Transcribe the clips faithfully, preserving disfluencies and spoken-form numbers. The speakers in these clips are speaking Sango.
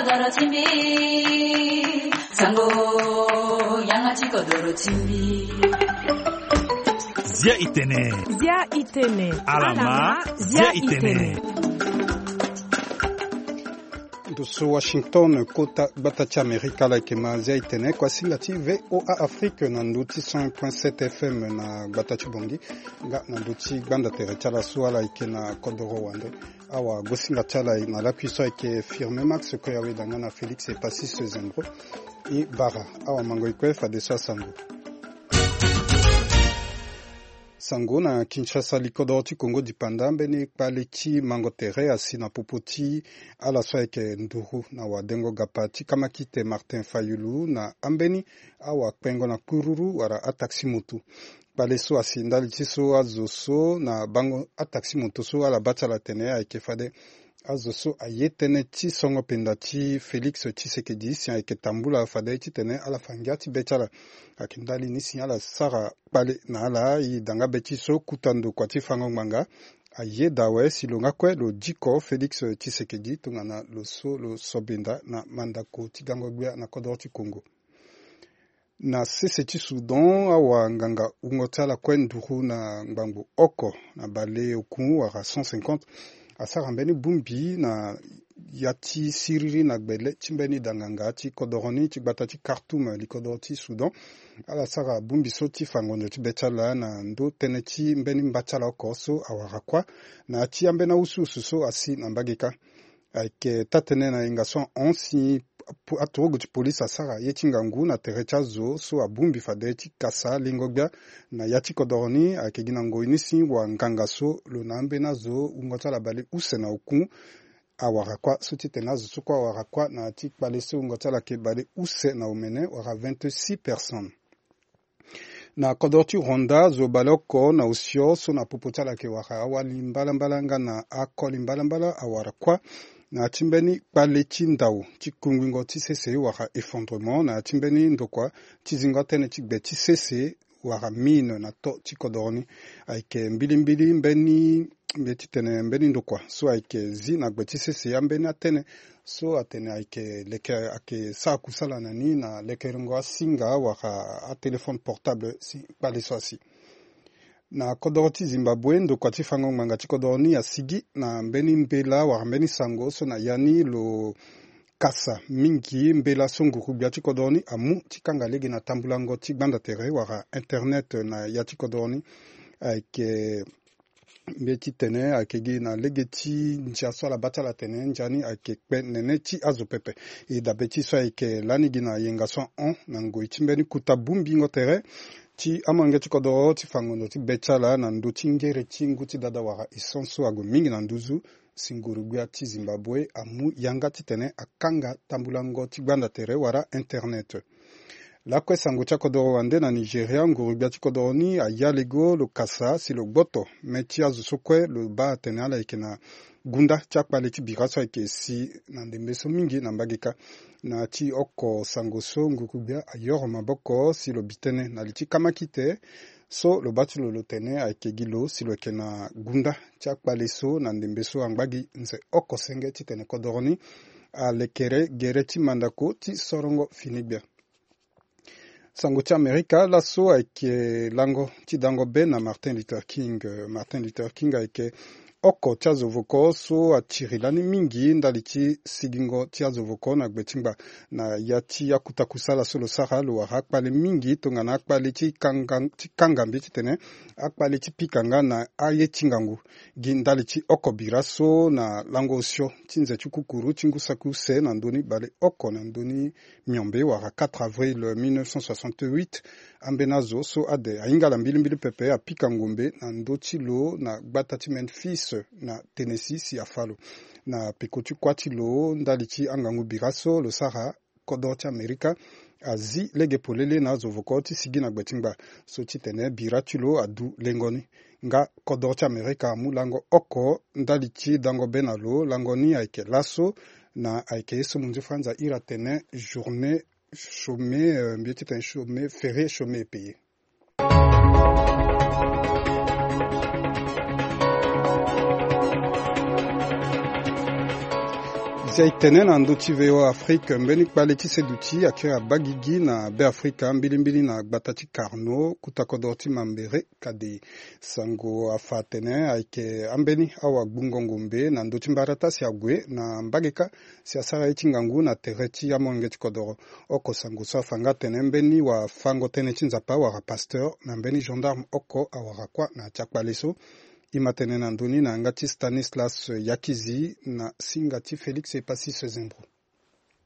Doro ti mbi, sango, yanga ti kodoro ti mbi. Zia itene. Zia itene. Alama, zia itene. Ndo so Washington, kota gbata ti Amerika, ala yeke ma Zia itene, kuasinga ti V O A Afrique na ndo ti cent point sept F M na gbata ti Bongi, nga na ndo ti gbanda tere ti ala so ala yeke na kodoro wande. Awa, gosinga ti ala na lakui so ayeke Firme Max, kue aweda nga na Félix Epasis Zembro. E bara, awa mango e kue fadeso asango. Sango na Kinshasa, likodoro ti Kongo dipanda, mbeni kpale ti mango tere asi na popo ti ala so ayeke nduru na wadengo gapa ti kamakite Martin Fayulu na ambeni awa kpengo na kururu wala ataxi moto. Kpale so asi ndali ti so azo so na bango ataxi moto so ala baa ti ala atene ayeke fade azo so aye tënë ti songo penda ti Félix Tshisekedi si ayeke tambula fade titene ala fa ngia ti be ti ala. Ayeke ndali ni si ala sara kpale na ala. E danga be ti so kuta ndokua ti fango ngbanga ayeda awe si lo nga kue lo diko Félix Tshisekedi tongana lo so lo sobenda na mandako ti gango gbia na kodoro ti Kongo. Na sese ti Soudan, awa nganga wungo ti ala kue nduru na ngbangbo oko na baleoku wala cent cinquante asara mbeni bongbi na ya ti siriri na gbele ti mbeni danganga ti kodoro ni ti gbata ti Khartoum, likodoro ti Soudan. Ala sara bongbi so ti fa ngonzo ti be ti ala na ndö tënë ti mbeni mba ti ala oko so awara kuâ na ya ti ambeni awusuwusu so asi na mbage kâ. Ayeke taa-tënë na yenga so ahon si aturugu ti polise asara ye ti ngangu na tere ti azo so abongbi fade ti kasa lingo gbia na ya ti kodoro ni. Ayeke gi na ngoi ni si wanganga so lo na ambeni azo wungo ti ala baleuse na oku awara kuâ so titene azo so kue awara kuâ na ya ti kpale so wungo ti ala yeke baleuse na omene wala vingt-six personnes. Na kodoro ti Rwanda, zo baleoko na osio so na popo ti ala ayeke wara awali mbalambala nga na akoli mbalambala awara kuâ na ya ti mbeni kpale ti ndau ti kungbingo ti sese wala effondrement na ya ti mbeni ndokua ti zingo tënë ti gbe ti sese wala mine na to ti kodoro ni. Ayeke mbilimbili mbeni mbi ye ti tene mbeni ndokua so ayeke zi na gbe ti sese ambeni atënë so atene ayeke leke ayeke sara kusala na ni na lekerengo asinga wala atelefone portable si kpale so asi. Na kodoro ti Zimbabwe, ndokua ti fango ngbanga ti kodoro ni asigi na mbeni mbela wala mbeni sango so na ya ni lo kasa mingi mbela so nguru-gbia ti kodoro ni amu ti kanga lege na tambulango ti gbanda tere wala internet na ya ti kodoro ni. Ayeke mbi ye ti tene ayeke gi na lege ti ndia so ala baa ti ala atene ndia ni ayeke kpe nene ti azo pepe. E dabe ti so ayeke lani gi na yenga so ahon na ngoi ti mbeni kuta bongbingo tere ti amange ti kodoro ti fa ngonzo ti be ti ala na ndö ti ngere ti ngu ti dada wala essence so ague mingi na nduzu si nguru-gbia ti Zimbabwe amu yanga titene akanga tambulango ti gbanda tere wala internet. Lakue sango ti akodoro wande na Nigeria, nguru-gbia ti kodoro ni aya lego lo kasa si lo gboto me ti azo so kue lo baa atene ala yeke na gunda ti akpale ti bira so ayeke si na ndembe so mingi na mbage kâ. Na ya ti oko sango so nguru-gbia ayoro maboko si lo bi tënë na li ti kamakite so lo baa ti lo lo tene ayeke gi lo si lo yeke na gunda ti akpale so na ndembe so angba gi nze oko senge titene kodoro ni alekere gere ti mandako ti sorongo fini gbia. Sango ti Amerika, laso ayeke lango ti dango be na Martin Luther King. Martin Luther King ayeke oko ti azo voko so atiri lani mingi ndali ti sigingo ti azo voko na gbe ti ngba. Na ya ti akuta kusala so lo sara, lo wara akpale mingi tongana akpale ti kanga, ti kanga mbi titene akpale ti pika nga na aye ti ngangu. Gi ndali ti oko bira so na lango osio ti nze ti kukuru ti ngu saki use na ndö ni baleoko na ndö ni miombe wala quatre avril mille neuf cent soixante-huit, ambeni azo so ade ahinga ala mbilimbili pepe apika ngombe na ndö ti lo na gbata ti Memphis na Tennessee si afa lo. Na peko ti kuâ ti lo ndali ti angangu bira so lo sara, kodoro ti Amerika azi lege polele na azo voko ti sigi na gbe ti ngba so titene bira ti lo adu lengo ni. Nga kodoro ti Amerika amu lango oko ndali ti dango be na lo, lango ni ayeke laso na ayeke ye so munzu fanza iri atene journée chômée, euh, mbi ye titene chômée, férié chômé et payé. Si aye tene na ndö ti V O A Afrique, mbeni kpale ti seduti akiri abagigi na Beafrika, mbilimbili na gbata ti Carnot, kota kodoro ti Mambere. Kade sango afa atene ayeke ambeni awagbungo ngombe na ndö ti mbarata si ague na mbage kâ si asara ye ti ngangu na tere ti amolenge ti kodoro. Oko sango so afa nga atene mbeni wafango tënë ti Nzapa wala pasteur na mbeni gendarme oko awara kuâ na ya ti akpale so. E ma tene na ndö ni na yanga ti Stanislas Yakizi na singa ti Félix Epasis Zembro.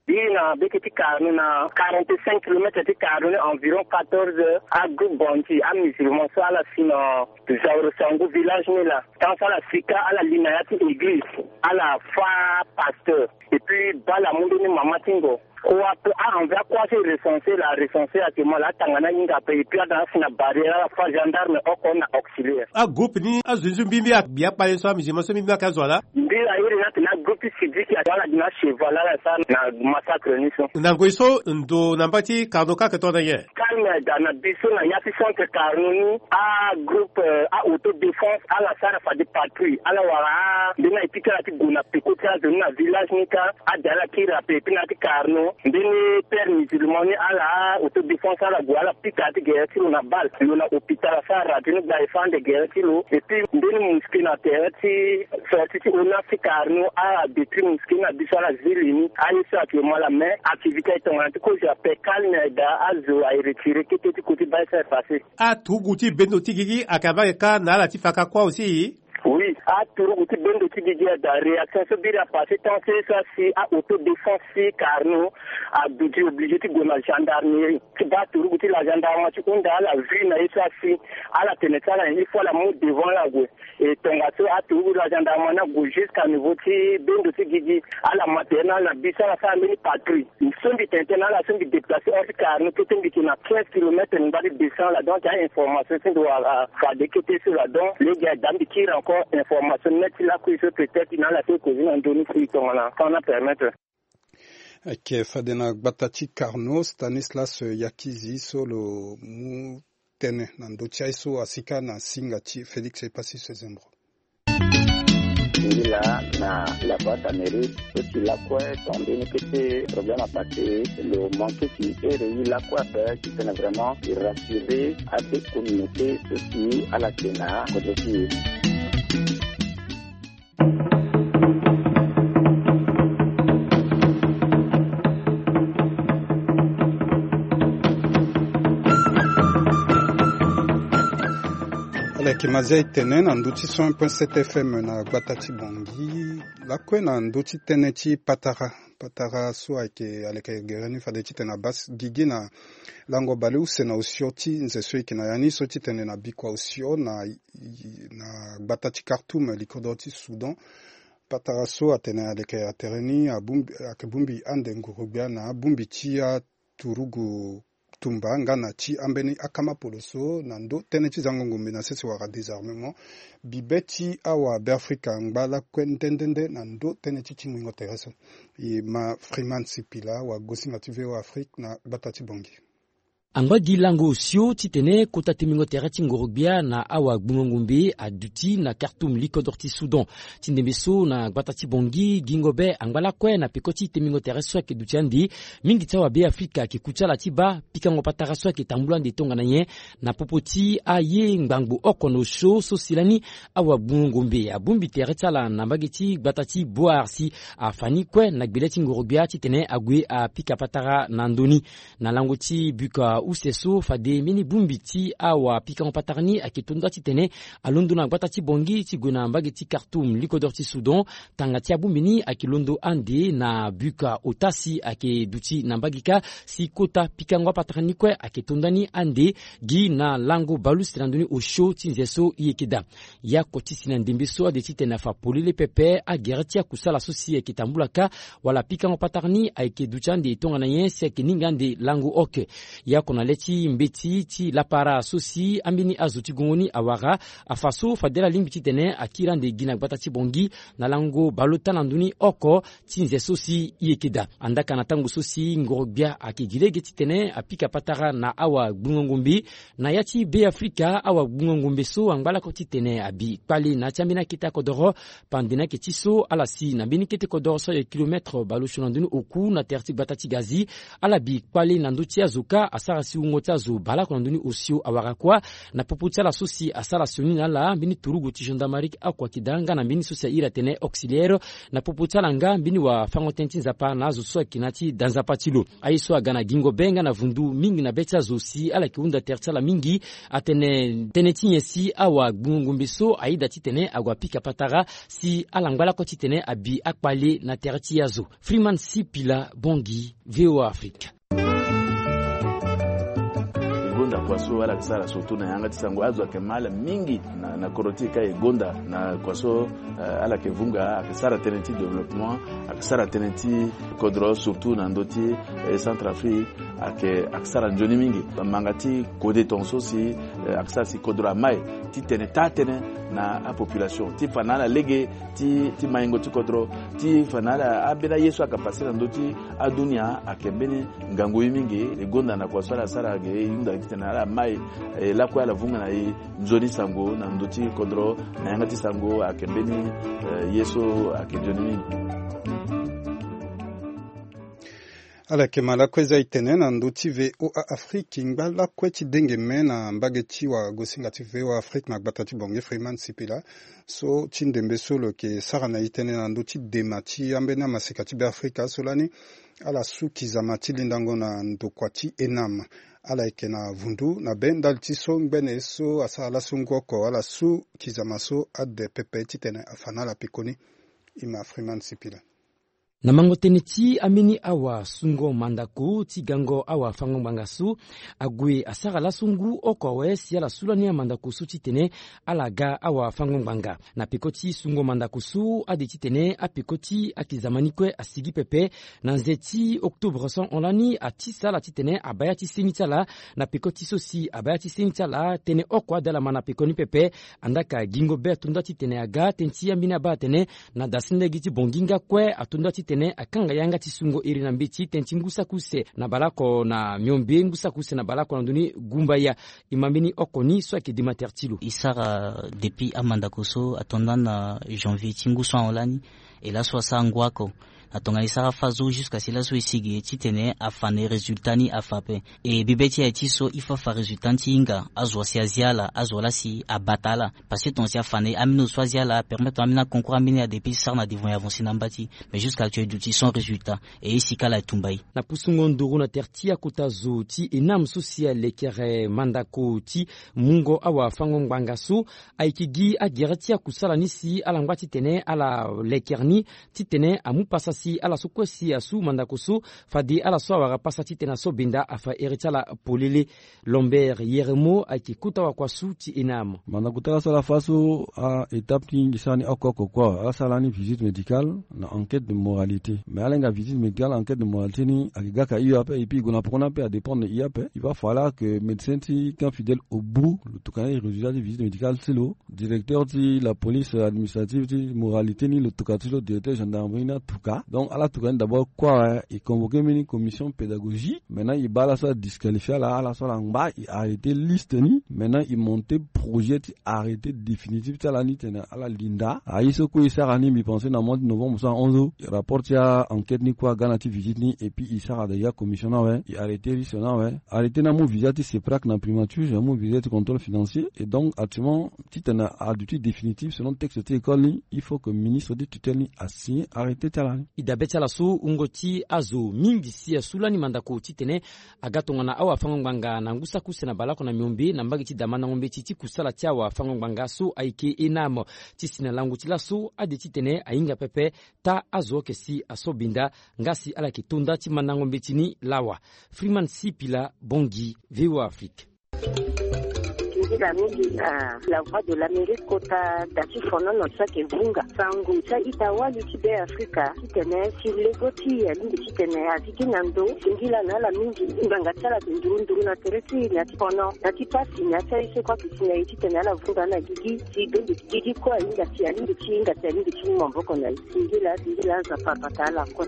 Biri na beke ti Carnot, na quarante-cinq kilomètres ti Carnot ni, environ quatorze heures, agroupe Bonti, amusulman so ala si na Zauro Sango village ni laa. Tant so ala si kâ, ala li na ya ti église, ala fâ pasteur. Et puis bala amu mbeni mama ti ngo. Kua pe a envoyé akua so e recenser laa, recenser actuellement laa, atanga ni ahinga ape. Et puis ada asi na barrière, ala fâ gendarme oko na auxiliaire. Agroupe ni azo ni so mbi mbi, akpale so, amusulman so mbi mbi ayeke azo ala. Mbi airi ni atene agroupe ti Sidiki, ala gi na cheval, ala sara na massacre ni so. Na ngoi so ndo na mbage ti Carnot kâ ayeke tongana nyen? Calme ayeke daa na biso na ya ti centre Carnot ni. Agroupe, euh, a-autodéfense ala sara fade patrouille, ala wara ambeni aye ti kiri ala ti gue na peko ti azo ni na village ni kâ. Ade ala kiri ape. Et puis na ya ti Carnot, mbeni père musulman ni, ala autodéfense ala gue, ala pika ti gere ti lo na balle. Lo na hôpital, asara radio ni gba, e fâ ande gere ti lo. Et puis mbeni mosquée na tere ti sortie ti ONAS ti Carnot, adétruire mosquée na biso, ala zili ni. Aye so actuellement laa, mais activité aye tongana ti kozo ape, calme aye daa, azo aye retirer kete ti côté baa ye so aye passé. Aturugu ti bendo ti gigi ayeke abaa ayeke kâ na ala ti fa kâ kua aussi. Oui, aturugu ti bendo ti gigi aye daa, réaction so biri apassé tant so ye so asi a-autodéfense ti Carnot aduti, obligé ti gue na gendarmerie ti baa aturugu ti la gendarmerie ti hunda ala vue na ye so asi. Ala tene ti ala nyen, il faut ala mu devant ala gue. E tongaso aturugu la gendarmerie ni ague jusqu'à niveau ti bendo ti gigi. Ala ma tere na ala na biso, ala sara mbeni patrouille. So mbi tene tënë na ala so mbi déplacé hors ti Carnot, kete mbi yeke na quinze kilomètres na ngbâ ti descend laa. Donc a-information so mbi wara fade kete so laa. Donc lege aye daa mbi kiri encore information neti lakue so peut-être na ala so e causer na ndö ni si tongana temps ni apermettre. Ayeke fade na gbata ti Carnot, Stanislas Yakizi so lo mu tënë na ndö ti aye so asi kâ na singa ti Félix Epasis Zembro. Ngila na la voix d'Amérique, so si lakue tongana mbeni kete problème apassé, lo manqué ti here ye lakue ape, titene vraiment e rassurer abe communauté so si ala yeke na kodro ti e. Ala yeke Mazia e tene na ndö ti cent un point sept F M na gbata ti Bangui. Lakue na ndö ti tënë ti patara. Patara so ayeke, aleke gere ni fade titene abaa gigi na lango baleuse na osio ti nze so e yeke na ya ni so titene na bikua osio na, na gbata ti Khartoum, likodro ti Soudan. Patara so atene aleke atere ni abongbi, ayeke bongbi ande nguru-gbia na abongbi ti aturugu tumba nga na ti ambeni akamapolo so na ndö tënë ti zango ngombe na sese wala désarmement. Bibe ti awa Beafrika angba lakue nde nde nde na ndö tënë ti tingbingo tere so. E ma Freeman Sipila, wagosinga ti V O A Afrique na gbata ti Bangui. Angba gi lango osio titene kota tingbingo tere ti ngoro-gbia na awagbungo ngombe aduti na Khartoum, likodro ti Soudan. Ti ndembe so na gbata ti Bangui, gingo be angba lakue na peko ti tingbingo tere so ayeke duti ande. Mingi ti awabeafrika ayeke ku ti ala ti baa pikango patara so ayeke tambula ande tongana nyen na popo ti aye ngbangbo oko na osio so si lani awagbungo ngombe abongbi tere ti ala na mbage ti gbata ti Bouar si afa ni kue na gbele ti ngoro-gbia titene ague apika patara na ndo ni. Na lango ti buka use so fade mbeni bongbi ti awapikango patara ni ayeke tonda titene alondo na gbata ti Bangui ti gue na mbage ti Khartoum, likodro ti Soudan. Tanga ti abongbi ni ayeke londo ande na buka ota si ayeke duti na mbage kâ si kota pikango apatara ni kue ayeke tonda ni ande gi na lango baleuse na ndo ni osio ti nze so e yeke daa. Ya oko ti si na ndembe so ade titene afa polele pepe agere ti akusala so si ayeke tambula kâ wala pikango patara ni ayeke duti ande tongana nyen si ayeke ningbi ande lango oke. Ya oko na le ti mbeti ti lapara so si ambeni azo ti gongo ni awara afa so fade ala lingbi titene akiri ande gi na gbata ti Bangui na lango baleota na ndö ni oko ti nze so si e yeke daa. Andaa ka na tango so si ngoro-gbia ayeke gi lege titene apika patara na awagbungo-ngombe na ya ti Be Afrika, awagbungo-ngombe so angba lakue titene abi kpale na ya ti ambeni akete akodoro. Pande na yeke ti so ala si na mbeni kete kodoro so ayeke kilometre baleosio na ndö ni oku na tere ti gbata ti Gazi, ala bi kpale na ndö ti azo kâ asara si wungo ti azo baleoko na ndö ni osio awara kuâ. Na popo ti ala so si asara sioni na ala, mbeni turugu ti gendarmerie oko ayeke daa nga na mbeni so si a iri atene auxiliaire. Na popo ti ala nga mbeni wafango-tënë ti Nzapa na azo so ayeke na ya ti da nzapa ti lo. Aye so aga na gingo be nga na vundu mingi na be ti azo si ala yeke hunda tere ti ala mingi, atene tënë ti nyen si awagbungo-ngombe so ayeda titene ague apika patara si ala ngba lakue titene abi akpale na tere ti azo. Freeman Sipila, Bangui, V O A Afrique. E gonda kua so ala yeke sara surtout na yanga ti sango, azo ayeke ma ala mingi na, na kodro ti e ka e gonda na kua so, eh, ala yeke vunga, ayeke sara tënë ti développement, ayeke sara tënë ti kodro surtout na ndö ti, eh, Centrafrique, ayeke, ayeke sara nzoni mingi. Manga ti kode tongaso si, eh, ayeke sara si kodro amai titene taa tënë na apopulation ti fa na ala lege ti, ti maingo ti kodro, ti fa na ala ambeni aye so ayeke pase na ndö ti adunia ayeke mbeni ngangu ye mingi. E gonda na kua so ala sara ge e hunda titene ala mai, eh, lakue ala vunga na e nzoni sango na ndö ti kodro na yanga ti sango ayeke mbeni, eh, ye so ayeke nzoni mingi. Ala yeke ma lakue za e tene na ndö ti V O A Afrique, ngba lakue ti denge me na mbage ti wagosinga ti V O A Afrique na gbata ti Bangui, Freeman Sipila, so ti ndembe so lo yeke sara na e tënë na ndö ti dema ti ambeni amaseka ti Be Afrika so lani ala su kizama ti lindango na ndokua ti ENAM. Ala yeke na vundu na be ndali ti so ngbene so asara laso ngu oko ala su kizama so ade pepe titene afa na ala pekoni. E ma Freeman Sipila. Na mango tënë ti ambeni awasungo mandako ti gango awafango ngbanga so, ague asara laso ngu oko awe si ala su lani amandako so titene ala ga awafango ngbanga. Na peko ti sungo mandako so ade titene apeko ti akizama ni kue asigi pepe, na nze ti octobre so ahon lani atisa ala titene abaa ya ti seni ti ala. Na peko ti so si abaa ya ti seni ti ala, tënë oko ade ala ma na peko ni pepe. Andaa ka gingo be ato nda titene aga, tënë ti ambeni abaa atene na dasi lege ti Bangui nga kue ato nda titene akanga yanga ti sungo iri na mbeti, tënë ti ngu saki use na baleoko na miombe, ngu saki use na baleoko na ndö ni gumbaya. E ma mbeni oko ni so ayeke dema tere ti lo. E sara depuis amandako so ato nda na janvier ti ngu so ahon lani, e laso asara ngu oko. Na tongana e sara fâ so jusqu'à si laso e sigi titene afa na e résultat ni afa ape. E bibe ti e aye ti so il faut afa résultat ni ti hinga, azo asi azia ala, azo laa si abata ala. Parce que tonga si afa na e, ambeni zo so azia ala apermettre ambeni aconcours ambeni ade pe ti sara na devant e avancer na amba ti e. Mais jusqu'à actuel e duti sans résultat. E e sika ala e tumba e. Na pusungo nduru na tere ti akota zo ti ENAM so si alekere mandako ti mungo awafango ngbanga so, ayeke gi agere ti akusala ni si ala ngba titene ala lekere ni, titene amu pasa si ala so kue si asu mandako so, fade ala so awara pasa titene aso benda afa ere ti ala polele. Lambert Yeremo ayeke kota wakua su ti ENAM. Mandako ti ala so ala fâ so a-étape ti ngingi sara ni oko oko kue, ala sara lani visite médicale na enquête de moralité. Mais ala hinga visite médicale, enquête de moralité ni ayeke ga ka hio ape, et puis e gue na poko ni ape, adépendre na e ape. Il va falloir que médecin ti Camp Fidèle au bout lo tokua na e résultat ti visite médicale ti lo. Directeur ti la police administrative ti moralité ni lo tokua ti lo, directeur gendarmerie ni atoka. Donc ala tokua ni d'abord kue awe, e convoqué mbeni commission pédagogique. Maintenant e baa ala so adisqualifie ala, ala so ala ngba, e arrêté liste ni. Maintenant e monté projet ti arrêté définitif ti ala ni tene ala linda. Aye so kue e sara ni, mbi pensé na mois ti novembre so ahon so, rapport ti a-enquête ni kue aga na ti visite ni, et puis e sara déjà commission ni awe, e arrêté liste ni awe. Arrêté ni amu visa ti CEPRAC na primature, amu visa ti contrôle financier. Et donc actuellement titene aduti définitif selon texte ti école ni, il faut que ministre ti tutelle ni asigné arrêté ti ala ni. E dabe ti ala so wungo ti azo mingi si asu lani mandako titene aga tongana awafango ngbanga na ngu saki use na baleoko na miombe na mbage ti da mandango mbeti ti kusala ti awafango ngbanga so ayeke ENAM. Ti si na lango ti laso ade titene ahinga pepe taa azo oke si aso benda nga si ala yeke to nda ti mandango mbeti ni lawa. Freeman Sipila, Bangui, V O A Afrique. Ila mingi na la voix de l'Amérique kota da ti fonono ti ayeke vunga sango ti a-ita-wali ti Be Afrika titene si lego ti e alingbi titene azi ti na ndo. Singila na ala mingi ngbanga ti ala ayeke nduru nduru na tere ti e na ya ti fono na ya ti pasi na ya ti aye so kue ayeke si na e titene ala vunga na gigi si bembe ti gigi kue ahinga si alingbi ti hinga si alingbi ti mu maboko na e. Singila singila Nzapa abata ala kue.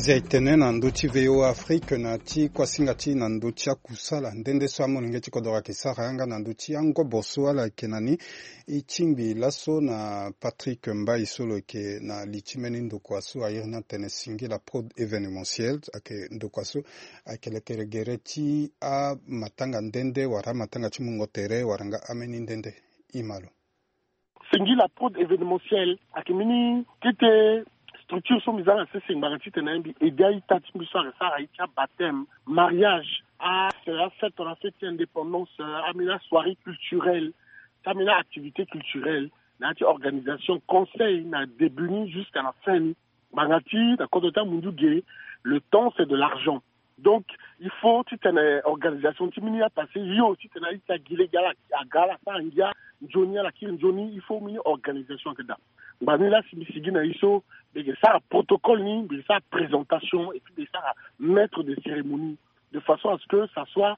Zia etene na ndö ti V O A Afrique na ti kuasinga ti na ndö ti akusala nde nde so amolenge ti kodoro ayeke sara yanga na ndö ti angobo so ala yeke na ni. E tingbi laso na Patrick Mbaye so lo yeke na li ti mbeni ndokua so a iri ni atene Singila Prod Événementiel, ayeke ndokua so ayeke lekere gere ti amatanga nde nde wala amatanga ti mungo tere wala nga ambeni nde nde. E ma lo. Singila Prod Événementiel ayeke mbeni kete structure so mbi za na sese ngbanga titene mbi aide a-ita ti mbi so ayeke sara aye ti abaptême, mariage, a, afête, tongana fête ti indépendance, ambeni asoirée culturelle, ti ambeni a-activité culturelle, na ya ti organisation, conseil na début ni jusqu'à la fin ni. Ngbanga ti na kodro ti amundu ge, le temps c'est de l'argent. Donc il faut titene organisation ti mbeni apassé yo titene a-ita gi lege ala aga ala sara ngia, nzoni ala kiri nzoni, il faut mbeni organisation ayeke daa. Ngbanga ni la si mbi sigi na e so mbi yeke sara protocole ni, mbi yeke sara présentation et puis mbi yeke sara maître de cérémonie de façon à ce que ça soit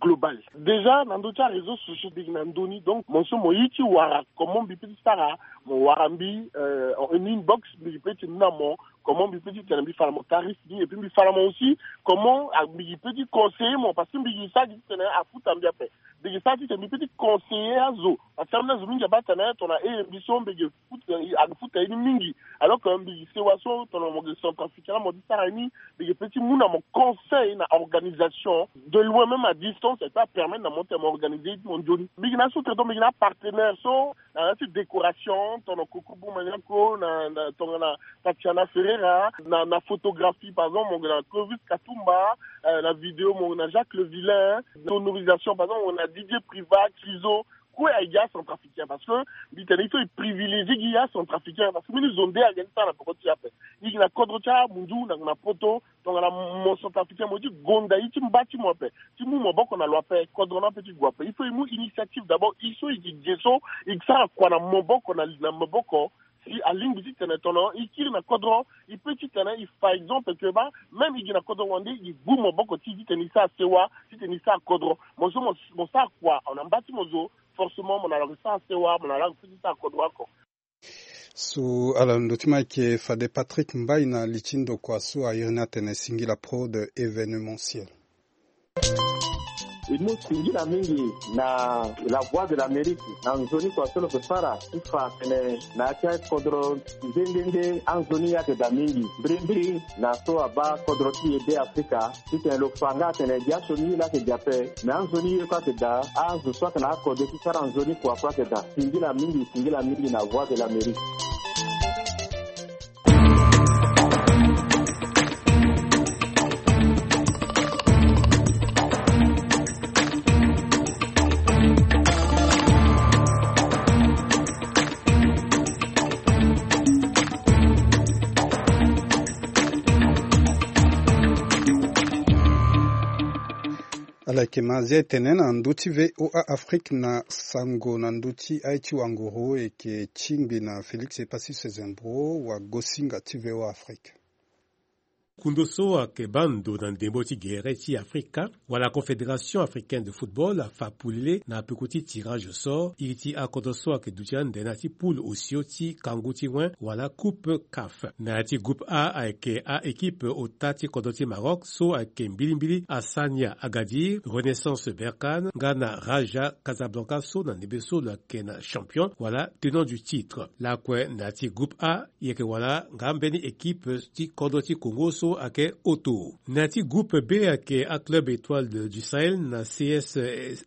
global. Déjà na ndö ti aréseau sociaux mbi yeke na ndö ni, donc mo so mo ye ti wara comment mbi peut ti sara, mo wara mbi, euh, en inbox, mbi peut ti mu na mo comment mbi peut ti tene mbi fa na mo tarif ni, et puis mbi fa na mo aussi comment, ah, mbi peut ti conseiller mo, parce que mbi yeke sara gi titene afuta mbi ape. Mbi yeke sara titene mbi peut ti conseiller azo, parce que ambeni azo mingi abaa tene tongana e mbi so mbi yeke futa, ayeke futa ye ni mingi. Alors que mbi sewa so tongana mo yeke centrafricain la mo ti sara ye ni, mbi yeke peut ti mu na mo conseil na organisation de loin, même à distance, et peut apermettre na mo tene mo organiser ye ti mo nzoni. Mbi yeke na sous-traitant, mbi yeke na apartenaire so na ya ti décoration, tongana Koko Boumaniako, na, na tongana Tatiana Ferreira, na, na photographie par exemple mo yeke na Clovis Katumba, euh, na vidéo mo yeke na Jacques Le Vilain, sonorisation par exemple mo yeke na Didier Privat, Kizo, kue aye gi acentrafricain, parce que mbi tene il faut e privilégier gi acentrafricain, parce que mbeni zo nde ayeke ti sara na peko ti e ape. E yeke na kodro ti amundu na, na poto, tongana mo centrafricain mo ye ti gonda ye ti mba ti mo ape, ti mu maboko na lo ape, kodro ni ape ti gue ape. Il faut e mu initiative d'abord, e so e yeke ge so e sara kua na maboko na, na maboko. Si alingbi titene tongana e kiri na kodro, e peut titene e fa exemple que ba même e gi na kodro wande e gbu maboko ti e titene e sara sewa, titene e sara kodro. Mo so mo, mo sara kua na mba ti mo zo, forcément mo na lo ayeke sara sewa, mo na lo ayeke peut ti sara kodro oko. So ala ndo ti ma ayeke fade Patrick Mbaye na li ti ndokua so a iri ni atene Singila Prod Événementiel. E mu singila mingi na La Voix de l'Amérique na nzoni kua so lo yeke sara ti fa atene na ya ti akodro nde nde nde anzoni ayeke daa mingi. Mbirimbiri na so abaa kodro ti e Be Afrika, titene lo fa nga atene gi asioni ye laa ayeke daa ape, me anzoni ye kue ayeke daa, azo so ayeke na akode ti sara nzoni kua kue ayeke daa. Singila mingi, singila mingi na Voix de l'Amérique. Ala yeke ma zia etene na ndö ti V O A Afrique na sango na ndö ti aye ti wanguru e yeke tingbi na Félix Epassus Zembro, wagosinga ti V O A Afrique. Kundo so ayeke baa ndo na ndembo ti gere ti Afrika wala Confédération Africaine de Football afa polele na peko ti tirage au sort iri ti akodro so ayeke duti ande na ya ti poule osio ti kangu ti wen wala coupe CAF. Na ya ti groupe A ayeke a-équipe ota ti kodro ti Maroc so ayeke mbilimbili Hassania Agadir, Renaissance Berkane nga na Raja Casablanca so na ndembe so lo yeke na champion wala tenant du titre. Lakue na ya ti groupe A e yeke wala nga mbeni équipe ti kodro ti Congo so ayeke Auto. Na ya ti groupe B ayeke aclub Étoile de, du Sahel na C S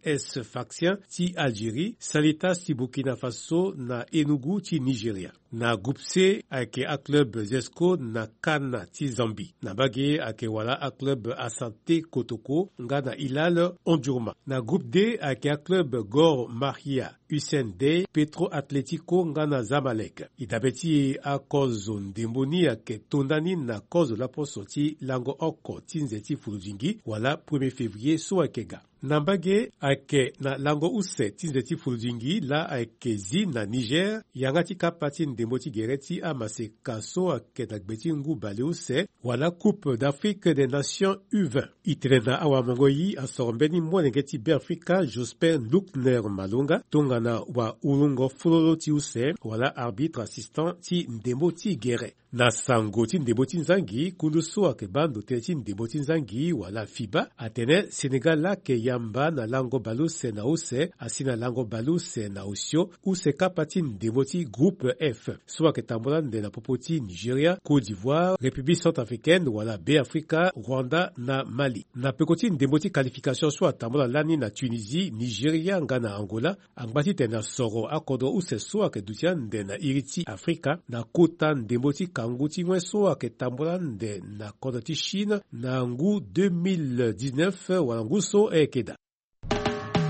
S Faction ti Algérie, Salitas ti Burkina Faso na Enugu ti Nigeria. Na groupe C ayeke aclub Zesco na Kana ti Zambie. Na mbage ayeke wala aclub Asante Kotoko nga na Hilal Omdurman. Na groupe D ayeke aclub Gor Mahia Hussein Dey, Petro Atletico nga na Zamalek. E dabe ti e akozo ndembo ni ayeke to ndani na kozo laposo ti lango oko ti nze ti fuludingi wala premier février so ayeke ga. Na mbage ayeke na lango use ti nze ti fuludingi laa ayeke zi na Niger yanga ti kapa ti ndembo ti gere ti amaseka so ayeke na gbe ti ngu baleuse wala Coupe d'Afrique des Nations U vingt. E tene na awamongo yi asoro mbeni molenge ti Beafrika Jospin Luckner Malonga tongana wahulungo fololo ti use wala arbitre assistant ti ndembo ti gere. Na sango ti ndembo ti nzangi, kundu so ayeke baa ndo tënë ti ndembo ti nzangi wala fiba atene Sénégal laa ayeke yamba na lango baleuse na use asi na lango baleuse na osio, use kapa ti ndembo ti groupe F so ayeke tambula ande na popo ti Nigeria, Côte d'Ivoire, République centrafricaine wala Beafrika, Rwanda na Mali. Na peko ti ndembo ti qualification so atambula lani na Tunisie, Nigeria nga na Angola, angba titene asoro akodro use so ayeke duti ande na iri ti Afrika na kota ndembo ti kangu ti wen so ayeke tambula ande na kodro ti Chine na ngu deux mille dix-neuf wala ngu so ayeke daa.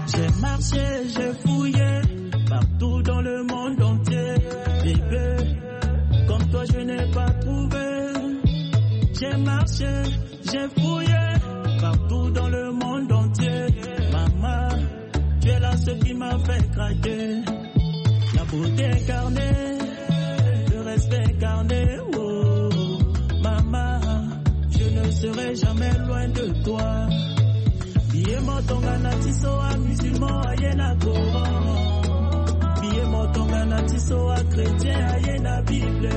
J'ai marché, j'ai fouillé partout dans le monde entier. Bébé, comme toi, je n'ai pas trouvé. J'ai marché, j'ai fouillé partout dans le monde entier. Maman, tu es là, ce qui m'a fait craquer. La beauté incarnée, le respect incarné. Oh, maman, je ne serai jamais loin de toi. Biye mo tongana ti so amusulman aye na Coran. Biye mo tongana ti so achrétien aye na Bible.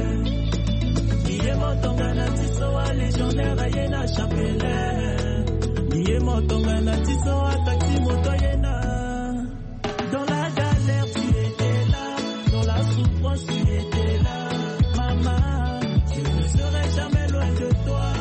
Biye mo tongana ti so alégionnaire aye na chapelet. Biye mo tongana ti so ataxi moto aye na. Dans la galère, tu étais là. Dans la souffrance, tu étais là. Maman, je ne serai jamais loin de toi.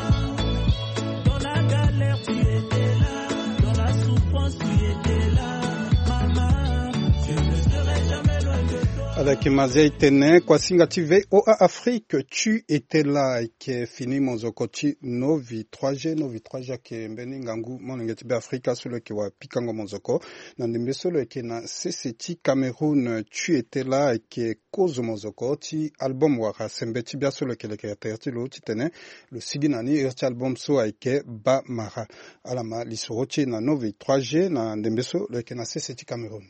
Dans la galère, tu étais là. Dans la souffrance, tu étais là. Maman, je ne serai jamais loin de toi. Ala yeke Mazia e tene, kuasinga ti V O A Afrique, tu étais là, ayeke fini mozoko ti Novi trois G. Novi trois G ayeke mbeni ngangu molenge ti Beafrika so lo yeke wa pikango mozoko na ndembe so lo yeke na sese ti Cameroun. Tu étais là ayeke kozo mozoko ti album wala sembe ti bia so lo yeke leke na tere ti lo titene lo sigi na ni iri ti album so ayeke Bamara. Ala ma lisoro ti e na Novi trois G na ndembe so lo yeke na sese ti Cameroun.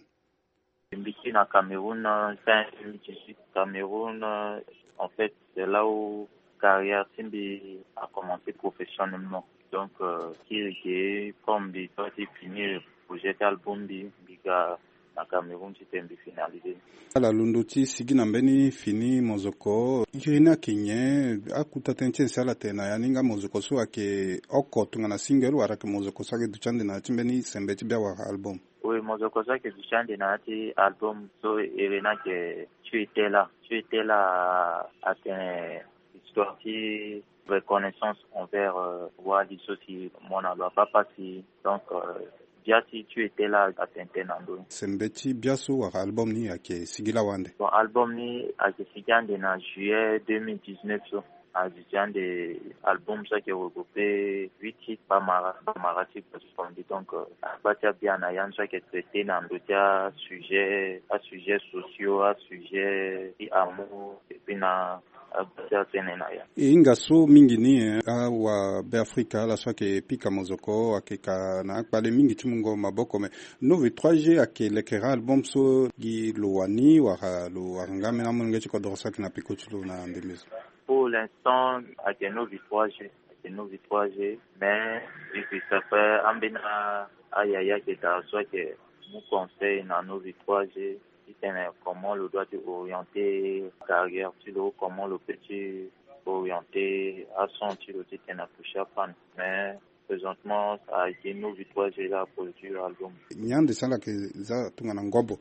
Mbi kiri na Cameroun, euh, fin deux mille dix-huit. Cameroun, euh, en fait, c'est là où carrière ti mbi a commencé professionnellement. Donc, euh, kiri ge, comme mbi doit ti finir projet ti album mbi, mbi ga na Cameroun titene mbi finaliser. Ala londo ti sigi na mbeni fini mozoko, iri ni ayeke nyen? Akuta tënë ti e si ala tene na ya ni nga mozoko so ayeke oko tongana single wala ayeke mozoko so ayeke duti ande na ya ti mbeni sembe ti bia wala album? Oui, mozoko so ayeke duti ande na ya ti album so iri ni ayeke Tu étais là. Tu étais là atene histoire ti reconnaissance envers, euh, wali so si mo na lo abaa pasi. Donc, euh, bia ti Tu étais là atene tënë na ndö ni. Sembe ti bia so wala album ni ayeke sigi lawa ande? Bon, album ni ayeke sigi ande na juillet deux mille dix-neuf so. Azi ti ande album so ayeke regrouper huit titres, Bamara, Bamara ti Bosfondi. Donc, euh, agba ti abia na ya ni so ayeke traiter na ndö ti asujet, asujet sociaux, asujet ti amour, et puis na agba ti atënë na ya. E hinga so mingi ni, eh, awabeafrika ala so ayeke pika mozoko ayeke ka na akpale mingi ti mungo maboko, me Novi trois G ayeke lekere album so gi lo wani wala lo wara nga ambeni amolenge ti kodro so ayeke na peko ti lo na ndembe so? Pour l'instant, ayeke Novi trois G, ayeke Novi trois G, mais vu que ça fait ambeni a, ayaya ayeke daa so ayeke mu conseil na Novi trois G titene comment lo doit ti orienter carrière ti lo, comment lo peut ti orienter ason ti lo titene atoucher apan. Mais présentement, ayeke Novi trois G la aproduire album. Nyen ande so ala yeke za tongana ngobo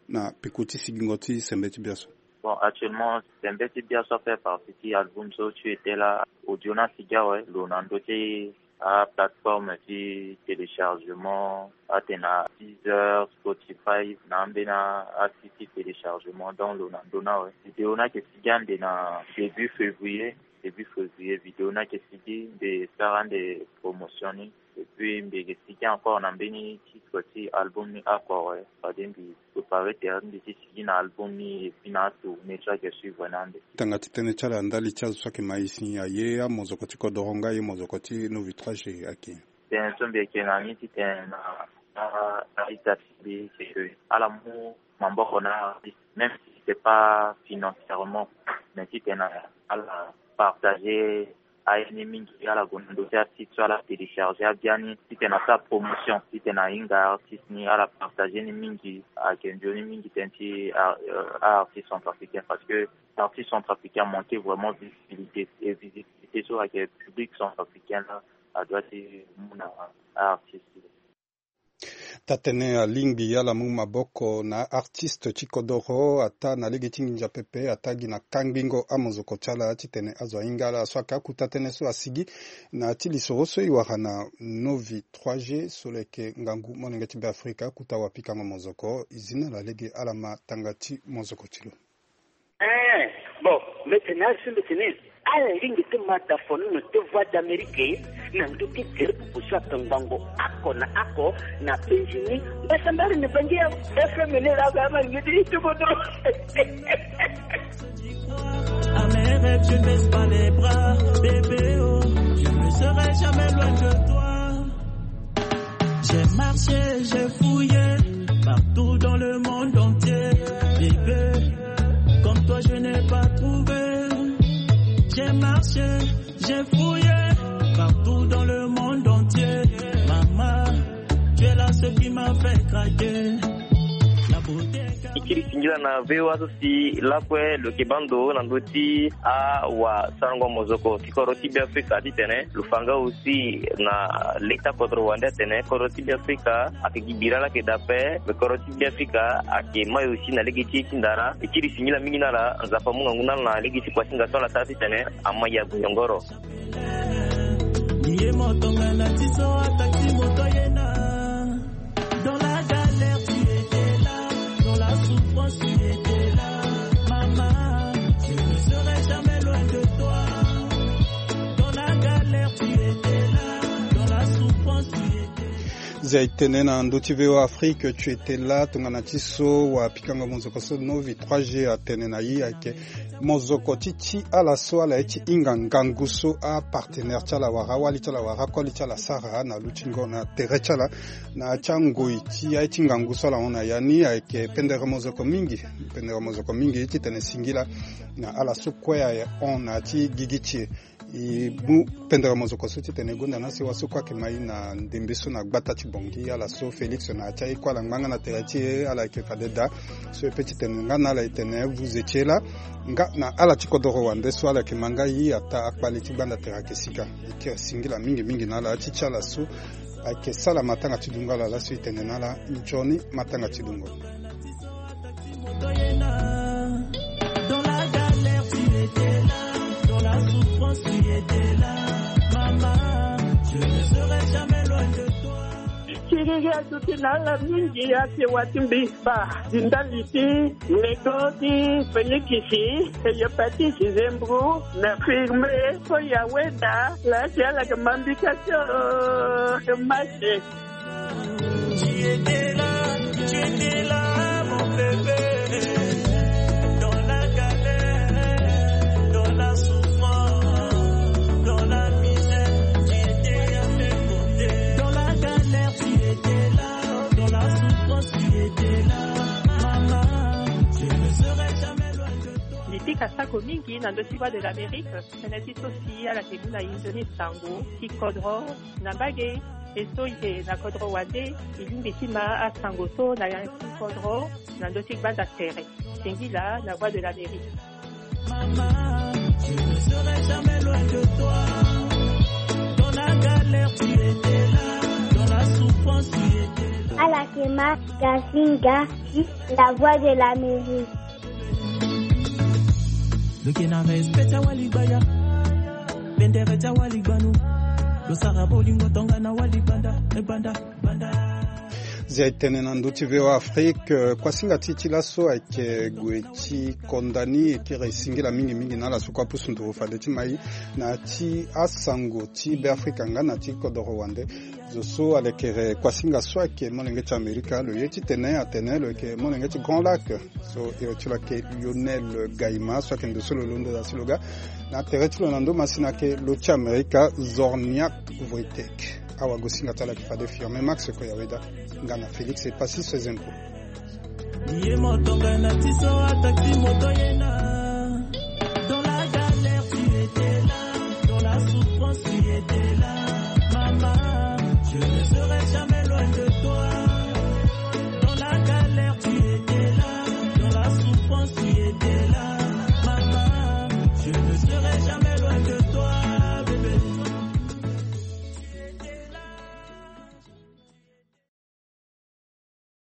na peko ti sigingo ti sembe ti bia so? Bon, actuellement, sembe ti bia so afaire partie ti album so Tu étais là, audio ni asigi awe, lo na ndö ti aplateforme ti téléchargement, atene na Deezer, Spotify, na ambeni asite ti téléchargement, donc lo na ndö ni awe. Vidéo ni ayeke sigi ande na début février, début février, vidéo ni ayeke sigi, mbi sara ande promotion ni. Et puis mbi yeke sigi encore na mbeni titre ti album ni Akoro, eh, fade mbi prépare tere ti mbi ti sigi na album ni, et puis na atournée so ayeke suivre ni ande. Tanga ti tënë ti ala ndali ti azo so ayeke ma e si aye amozoko ti kodoro nga aye mozoko ti Novi trois G ayeke. Tënë so mbi yeke na ni titene na, na, na ita ti mbi, c'est que ala mu maboko na artiste, même si c'est pas financièrement, mais titene ala partager aye ni mingi, ala gue na ndö ti asite so ala télécharger abiani, titene asara promotion, titene ahinga artiste ni, ala partager ni mingi, ayeke nzoni mingi tënë ti a, euh, artiste centrafricain, parce que artiste centrafricain manque vraiment visibilité, et visibilité so ayeke public centrafricain la adoit ti mu na artiste. Taa-tënë alingbi ala mu maboko na artiste ti kodoro, ataa na lege ti nginza pepe, ataa gi na kangbingo amozoko ti ala titene azo ahinga ala. So ayeke akuta tënë so asigi na ya ti lisoro so e wara na Novi trois G so lo yeke ngangu molenge ti Beafrika, akuta wapikango mozoko. E zi na ala lege, ala ma tanga ti mozoko ti lo. Eh, bon, mbi tene asi mbi tene ala lingbi ti ma dafono na te Voix d'Amérique na ndö ti gere pupu so atongbango oko na oko na penzi ni. Mbasambari ni bangi ya F M ni la ga ma ngidi itubodo. À mes rêves, je ne baisse pas les bras, bébé, oh, je ne serai jamais loin de toi. J'ai marché, j'ai fouillé partout dans le monde entier. Bébé, comme toi, je n'ai pas trouvé. J'ai marché, j'ai fouillé partout dans le monde entier. Maman, tu es là, ce qui m'a fait craquer. La beauté. E kiri singila na V O A so si lakue lo yeke baa ndo na ndö ti awasarango mozoko ti kodro ti Beafrika titene lo fa nga aussi na leta kodro wande atene kodro ti Beafrika ayeke gi bira laa ayeke daa ape, me kodro ti Beafrika ayeke mai aussi na lege ti e ti ndara. E kiri singila mingi na ala, Nzapa amu ngangu na ala na lege ti kuasinga so ala sara titene ama ya goyongoro. Ye moto nga na ti so ataki moto ye na. Dans la galère, tu étais là. Dans la souffrance, tu étais là. Maman, je ne serai jamais loin de toi. Dans la galère, tu étais là. Dans la souffrance, tu étais là. Zia e tene na ndö ti V O A Afrique, tu étais là, tongana ti so wapikango mozoko so Novi trois G atene na e ayeke mozoko ti ti ala so ala ye ti hinga ngangu so apartenaire ti ala wala awali ti ala wala akoli ti ala asara na lutingo na tere ti ala. Na ya ti angoi ti aye ti ngangu so ala hon na ya ni ayeke pendere mozoko mingi, pendere mozoko mingi titene e singila na ala so kue ahon na ya ti gigi ti e. E mu pendere mozoko so titene e gonda na sewa so kue ayeke ma e na ndembe so na gbata ti Bangui, ala so Félix na ya ti aye kue ala ngba nga na tere ti e, ala yeke fade daa. So e pe titene nga na ala e tene vuze ti e laa nga na ala ti kodoro wande so ala yeke ma nga e ataa akpale ti gbanda tere ayeke sika. E kiri singila mingi mingi na ala ti ti ala so ayeke sala matanga ti dungo ala laso e tene na ala nzoni matanga ti dungo. Dans la galère, tu étais là. Dans la souffrance, tu étais là. Maman, je ne serai jamais loin de toi. Siriri aduti na ala mingi, asewa ti mbi. Ba di ndali ti lego ti Félix, Hépatite, Zembro, na firme, so ya weda, la ti ala yeke ma mbi ka ti, euh, mache. Tu étais là, tu étais là, mon bébé. Dans la galère, dans la souffrance, dans la misère, tu étais à mes côtés. Dans la galère, tu étais là. Dans la souffrance, tu étais là. Maman, je ne serai jamais loin de toi. Mbi pika sako mingi na ndö ti Voix de l'Amérique. Tënë ti so si ala yeke mu na e nzoni sango ti kodro na mbage. E so e yeke na kodro wande, e lingbi ti ma asango so na ya ti kodro na ndö ti gbanda tere. Singila na Voix de l'Amérique. Maman, je ne serai jamais loin de toi. Dans la galère, tu étais là. Dans la souffrance, tu étais là. Ala yeke ma Gasinga, la Voix de l'Amérique. Lo yeke na respect ti awali gbaya. Pendere ti awali gbanu. Lo sara bolingo tongana wali gbanda, eh, gbanda, gbanda. Zia etene na ndö ti V O A Afrique, eh, kuasinga ti ti laso ayeke gue ti konda ni e kiri e singila mingi mingi na ala so kue apusu nduru fade ti mai na ti asango ti Beafrika nga na ti kodoro wande. Zo so alekere kuasinga so ayeke molenge ti Amerika, lo ye titene atene lo yeke molenge ti Grand Lac. So iri ti lo ayeke Lionel Gaima so ayeke ndo so lo londo daa si lo ga na tere ti lo na ndö masina ayeke lo ti Amerika, Zorniak Wojtek. Awagosinga ti ala ayeke fade Firmin Max Koyaweda nga na Félix Epassi Sezempo. Ye moto nga na ti so ataki moto ye na. Dans la galère tu étais là, dans la souffrance tu étais là. Maman, je ne serai jamais loin de